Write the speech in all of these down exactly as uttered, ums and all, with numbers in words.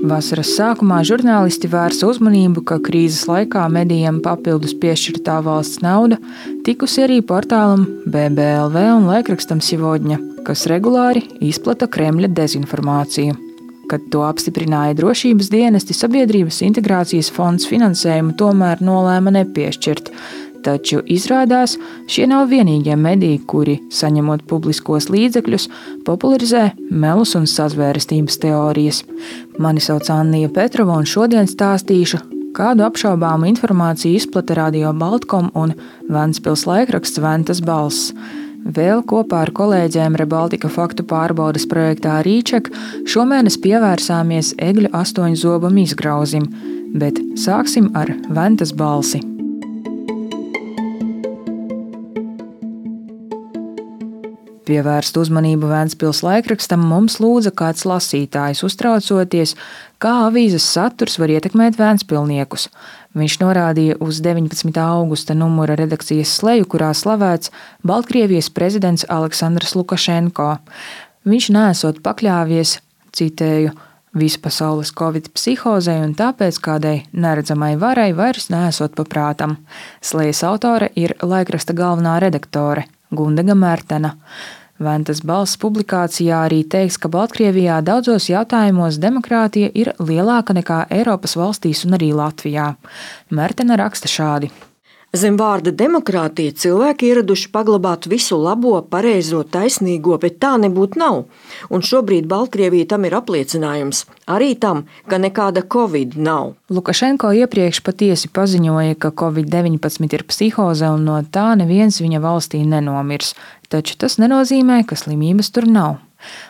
Vasaras sākumā žurnālisti vērsa uzmanību, ka krīzes laikā medijiem papildus piešķirtā valsts nauda tikusi arī portālam B B L V un laikrakstam Sivodņa, kas regulāri izplata Kremļa dezinformāciju. Kad to apstiprināja drošības dienesti, Sabiedrības integrācijas fonds finansējumu tomēr nolēma nepiešķirt. Taču izrādās, šie nav vienīgie mediji, kuri, saņemot publiskos līdzekļus, popularizē melus un sazvērestības teorijas. Mani sauc Annija Petrova un šodien stāstīšu, kādu apšaubāmu informāciju izplata Radio Baltkom un Ventspils laikraksts Ventas balss. Vēl kopā ar kolēģiem Rebaltika faktu pārbaudes projektā Rīček šomēnes pievērsāmies egļu astoņu zobam izgrauzim, bet sāksim ar Ventas balsi. Pievērst uzmanību Ventspils laikrakstam mums lūdza kāds lasītājs, uztraucoties, kā avīzes saturs var ietekmēt ventspilniekus. Viņš norādīja uz deviņpadsmitā augusta numura redakcijas sleju, kurā slavēts Baltkrievijas prezidents Aleksandrs Lukašenko. Viņš neesot pakļāvies, citēju, vispasaules covid psihozei un tāpēc kādai neredzamai varai vairs neesot paprātam. Slejas autore ir laikraksta galvenā redaktore Gundega Mērtena. Ventas balss publikācijā arī teiks, ka Baltkrievijā daudzos jautājumos demokrātija ir lielāka nekā Eiropas valstīs un arī Latvijā. Mērtena raksta šādi. Zem vārda demokrātija cilvēki ieraduši paglabāt visu labo, pareizo, taisnīgo, bet tā nebūtu nav. Un šobrīd Baltkrievija tam ir apliecinājums. Arī tam, ka nekāda covid nav. Lukašenko iepriekš patiesi paziņoja, ka covid deviņpadsmit ir psihoze un no tā neviens viņa valstī nenomirs. Taču tas nenozīmē, ka slimības tur nav.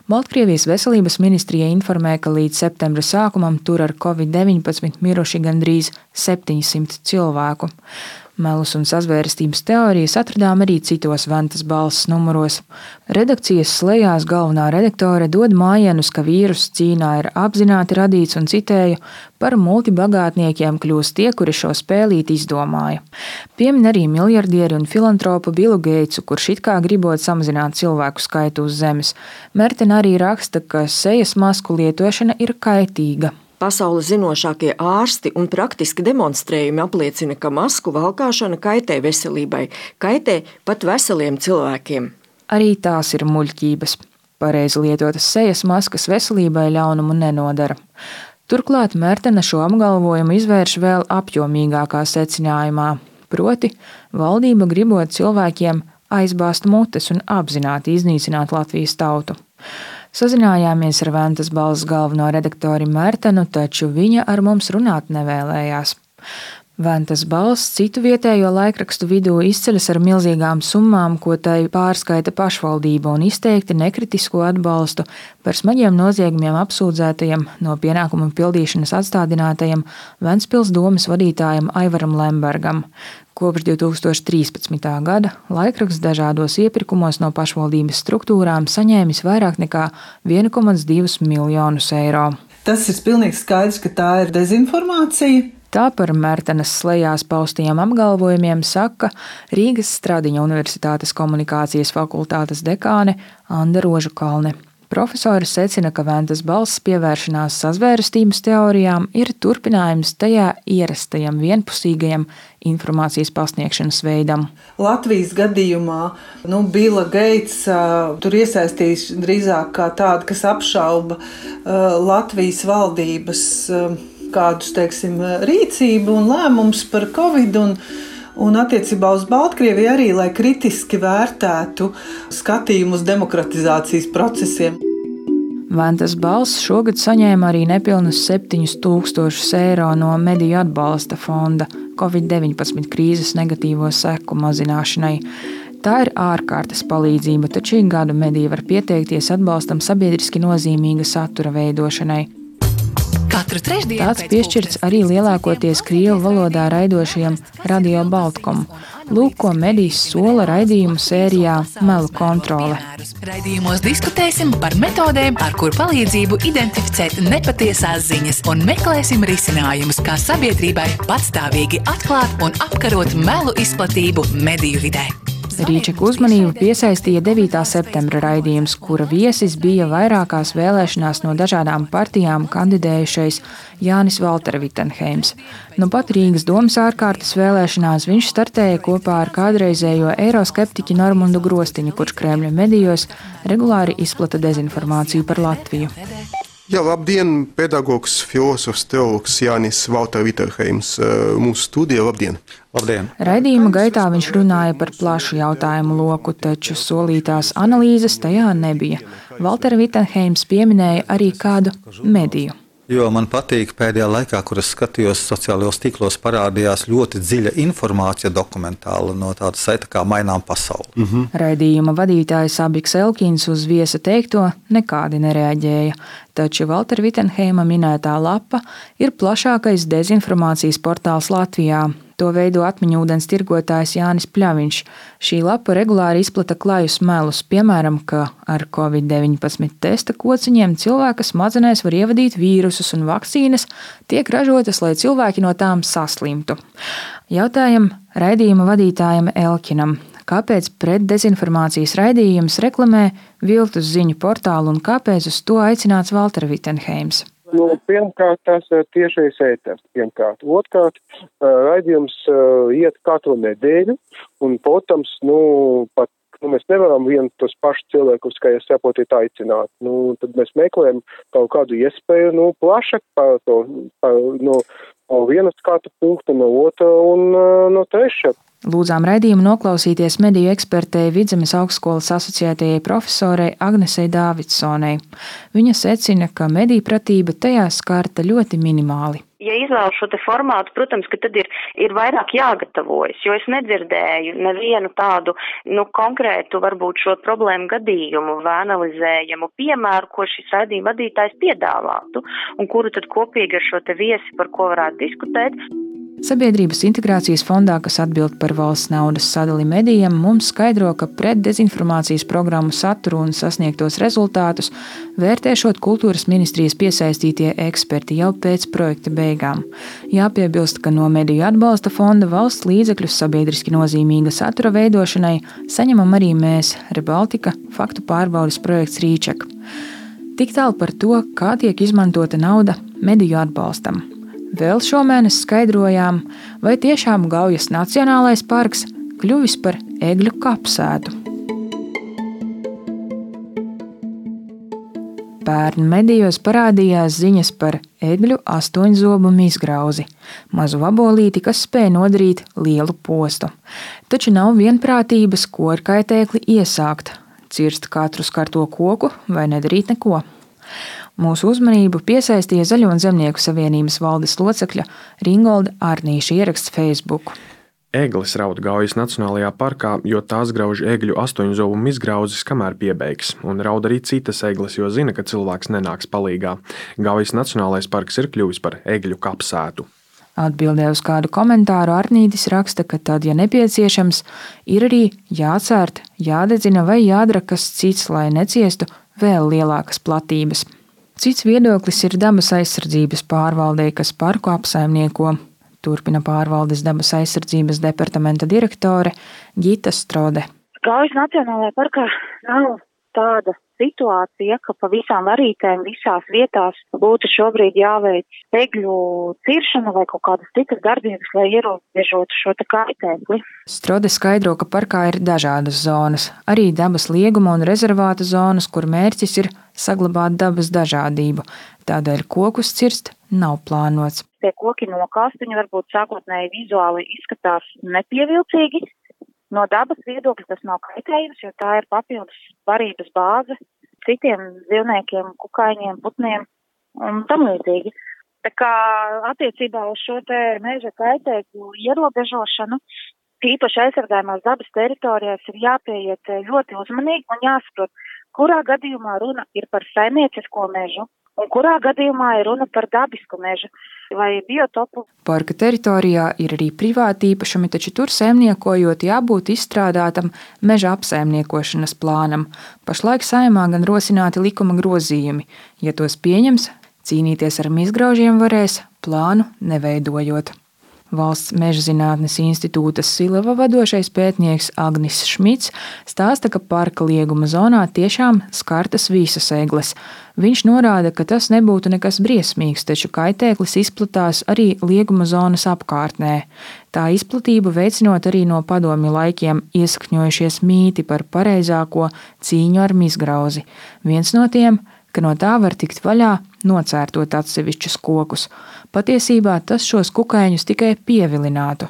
Baltkrievijas veselības ministrija informē, ka līdz septembra sākumam tur ar covid deviņpadsmit miruši gandrīz septiņsimt cilvēku. Melus un sazvērestības teorijas atradām arī citos Ventas balss numuros. Redakcijas slejās galvenā redaktore dod mājienus, ka vīruss Ķīnā ir apzināti radīts un citēju, par multibagātniekiem kļūst tie, kuri šo spēlīti izdomāja. Piemin arī miljardieri un filantropu Bilu Geitsu, kurš it kā gribot samazināt cilvēku skaitu uz zemes. Mērtena arī raksta, ka sejas masku lietošana ir kaitīga. Pasaules zinošākie ārsti un praktiski demonstrējumi apliecina, ka masku valkāšana kaitē veselībai, kaitē pat veseliem cilvēkiem. Arī tās ir muļķības. Pareizi lietotas sejas maskas veselībai ļaunumu nenodara. Turklāt Mērtena šo apgalvojumu izvērš vēl apjomīgākā secinājumā, proti valdība gribot cilvēkiem aizbāzt mutes un apzināti iznīcināt Latvijas tautu. Sazinājāmies ar Ventas balss galveno redaktori Mērtenu, taču viņa ar mums runāt nevēlējās. Ventas balss citu vietējo laikrakstu vidū izceļas ar milzīgām summām, ko tai pārskaita pašvaldība un izteikti nekritisko atbalstu par smagiem noziegumiem apsūdzētajiem no pienākumu pildīšanas atstādinātajiem Ventspils domes vadītājam Aivaram Lembergam. Kopš divi tūkstoši trīspadsmitā gada laikraksts dažādos iepirkumos no pašvaldības struktūrām saņēmis vairāk nekā viens komats divi miljonus eiro. Tas ir pilnīgi skaidrs, ka tā ir dezinformācija. Tā par Mērtenes slejās paustajiem apgalvojumiem saka Rīgas Stradiņa Universitātes komunikācijas fakultātes dekāne Anda Rožakalne. Profesori secina, ka Ventas balss pievēršanās sazvērestības teorijām ir turpinājums tajā ierastajam vienpusīgajam informācijas pasniegšanas veidam. Latvijas gadījumā nu, Bila Geits uh, tur iesaistīs drīzāk kā tāda, kas apšauba uh, Latvijas valdības uh, kādus, teiksim, rīcību un lēmumus par covid un Un attiecībā uz Baltkrieviju arī, lai kritiski vērtētu skatījumu uz demokratizācijas procesiem. Ventas balss šogad saņēma arī nepilnus septiņus tūkstošus eiro no mediju atbalsta fonda covid deviņpadsmit krīzes negatīvo seku mazināšanai. Tā ir ārkārtas palīdzība, taču ik gadu mediji var pieteikties atbalstam sabiedriski nozīmīga satura veidošanai. Tāds piešķirts arī lielākoties krievu valodā raidošajam Radio Baltkom. Lūk, ko medijs sola raidījumu sērijā Melu kontrole. Raidījumos diskutēsim par metodēm, ar kur palīdzību identificēt nepatiesās ziņas un meklēsim risinājumus, kā sabiedrībai patstāvīgi atklāt un apkarot melu izplatību mediju vidē. Rīčeka uzmanību piesaistīja devītā septembra raidījums, kura viesis bija vairākās vēlēšanās no dažādām partijām kandidējušais Jānis Valtera Vitsenheims. Nu pat Rīgas domas ārkārtas vēlēšanās viņš startēja kopā ar kādreizējo eiroskeptiķi Normundu Grostiņu, kurš Kremļa medijos regulāri izplata dezinformāciju par Latviju. Jā, labdien, pedagogs, filosofs, teologs Jānis Valtera Vitsenheims. Mūsu studija, labdien! Labdien! Raidījuma gaitā viņš runāja par plašu jautājumu loku, taču solītās analīzes tajā nebija. Valtera Vitsenheims pieminēja arī kādu mediju. Jo man patīk pēdējā laikā, kur es skatījos sociālajos tīklos, parādījās ļoti dziļa informācija dokumentāla no tāda saita kā Mainām pasauli. Mm-hmm. Raidījuma vadītājs Abiks Elkins uz viesa teikto nekādi nereaģēja, taču Valtera Vitsenheima minētā lapa ir plašākais dezinformācijas portāls Latvijā. To veido atmiņūdens tirgotājs Jānis Pļaviņš. Šī lapa regulāri izplata klajus melus, piemēram, ka ar covid deviņpadsmit testa kociņiem cilvēka smadzenēs var ievadīt vīrusus un vakcīnas tiek ražotas, lai cilvēki no tām saslimtu. Jautājam raidījuma vadītājam Elkinam, kāpēc pretdezinformācijas raidījums reklamē viltus ziņu portālu un kāpēc uz to aicināts Valtera Vitsenheims? Nu, pirmkārt, tas ir tiešais ēters. Pirmkārt. Otkārt, raidījums uh, iet katru nedēļu, un, protams, nu, pat, nu, mēs nevaram vien tos pašus cilvēkus, kā jūs saprotat, aicināt. Nu, tad mēs meklējam kaut kādu iespēju, nu, plašāk par to, par, nu, no viena skatu punkta, no otra un uh, no trešā. Lūdzām raidījumu noklausīties mediju ekspertei Vidzemes augstskolas asociētajai profesorei Agnesei Dāvidsonei. Viņa secina, ka mediju pratība tajā skarta ļoti minimāli. Ja izvēlu šo te formātu, protams, ka tad ir, ir vairāk jāgatavojas, jo es nedzirdēju nevienu tādu, nu, konkrētu, varbūt šo problēmu gadījumu vai analizējumu piemēru, ko šis raidījuma vadītājs piedāvātu, un kuru tad kopīgi ar šo te viesi, par ko varētu diskutēt. Sabiedrības integrācijas fondā, kas atbild par valsts naudas sadali medijam, mums skaidro, ka pretdezinformācijas programmu saturu un sasniegtos rezultātus vērtēšot kultūras ministrijas piesaistītie eksperti jau pēc projekta beigām. Jāpiebilst, ka no mediju atbalsta fonda valsts līdzekļus sabiedriski nozīmīga satura veidošanai saņemam arī mēs, Rebaltika, faktu pārbaudes projekts Rīčeka. Tik tālu par to, kā tiek izmantota nauda mediju atbalstam. Vēl šomēnes skaidrojām, vai tiešām Gaujas Nacionālais parks kļuvis par egļu kapsētu. Pērn medijos parādījās ziņas par egļu astoņzobu mizgrauzi, mazu vabolīti, kas spēj nodarīt lielu postu. Taču nav vienprātības, ko ar kaitēkli iesākt, cirst katru skarto koku vai nedarīt neko. Mūsu uzmanību piesaistīja Zaļo un Zemnieku savienības valdes locekļa Ringolda Arnīša ieraksts Facebook. Eglis raud Gaujas Nacionālajā parkā, jo tās grauž egļu astoņzobu mizgrauzes, kamēr piebeigs, un raud arī citas eglis, jo zina, ka cilvēks nenāks palīgā. Gaujas Nacionālais parks ir kļuvis par egļu kapsētu. Atbildē uz kādu komentāru Arnītis raksta, ka tad, ja nepieciešams, ir arī jācērt, jādedzina vai jādara kas cits, lai neciestu vēl lielākas platības. Cits viedoklis ir dabas aizsardzības pārvaldei, kas parku apsaimnieko. Turpina pārvaldes dabas aizsardzības departamenta direktore Gita Strode. Gaujas Nacionālajā parkā nav tāda situācija, ka pa visām varītēm visās vietās būtu šobrīd jāveic egļu ciršana vai kaut kādas citas darbības, lai ierobežotu šo te kaitēkli. Strode skaidro, ka parkā ir dažādas zonas, arī dabas lieguma un rezervāta zonas, kur mērķis ir saglabāt dabas dažādību. Tādēļ kokus cirst nav plānots. Tie koki nokāst, viņi varbūt sākotnēji vizuāli izskatās nepievilcīgi. No dabas viedokļa tas nav kaitējums, jo tā ir papildus barības bāze citiem dzīvniekiem, kukaiņiem, putniem un tam līdzīgi. Tā kā attiecībā uz šo te meža kaitēkļu ierobežošanu, īpaši aizsargājumās dabas teritorijās ir jāpieiet ļoti uzmanīgi un jāsaprot, kurā gadījumā runa ir par saimniecisko mežu un kurā gadījumā ir runa par dabisku mežu vai biotopu. Parka teritorijā ir arī privāti īpašumi, taču tur saimniekojot jābūt izstrādātam meža apsaimniekošanas plānam. Pašlaik Saeimā gan rosināti likuma grozījumi. Ja tos pieņems, cīnīties ar mizgraužiem varēs plānu neveidojot. Valsts Mežzinātnes institūta Silava vadošais pētnieks Agnis Šmits stāsta, ka parka lieguma zonā tiešām skartas visas egles. Viņš norāda, ka tas nebūtu nekas briesmīgs, taču kaitēklis izplatās arī lieguma zonas apkārtnē. Tā izplatību veicinot arī no padomju laikiem iesakņojušies mīti par pareizāko cīņu ar mizgrauzi. Viens no tiem, ka no tā var tikt vaļā, nocērtot atsevišķus kokus. Patiesībā tas šos kukaiņus tikai pievilinātu,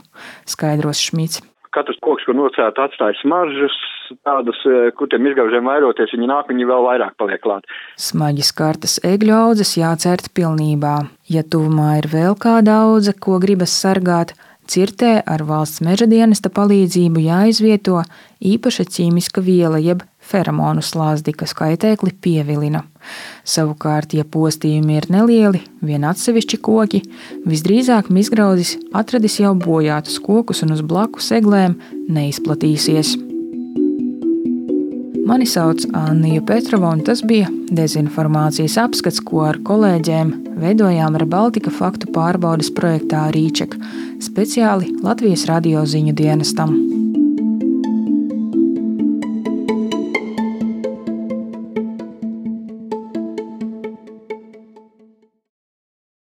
skaidros Šmits. Katrs koks, kur nocērt, atstāja smaržas, tādas, kur tiem izgaužiem vairoties, viņi nāk, viņi vēl vairāk paliek klāt. Smaģi skartas egļu audzes jācērt pilnībā. Ja tuvumā ir vēl kāda audze, ko gribas sargāt, cirtē ar valsts meža dienesta palīdzību jāizvieto īpaša ķīmiska viela jeb feromonu slāzdi, kas kaitēkli pievilina. Savukārt, ja postījumi ir nelieli, vien atsevišķi koki, visdrīzāk mizgraudzis atradis jau bojātus kokus un uz blakus eglēm neizplatīsies. Mani sauc Annija Petrova, un tas bija dezinformācijas apskats, ko ar kolēģiem veidojām ReBaltica faktu pārbaudes projektā Rīček, speciāli Latvijas radio ziņu dienestam.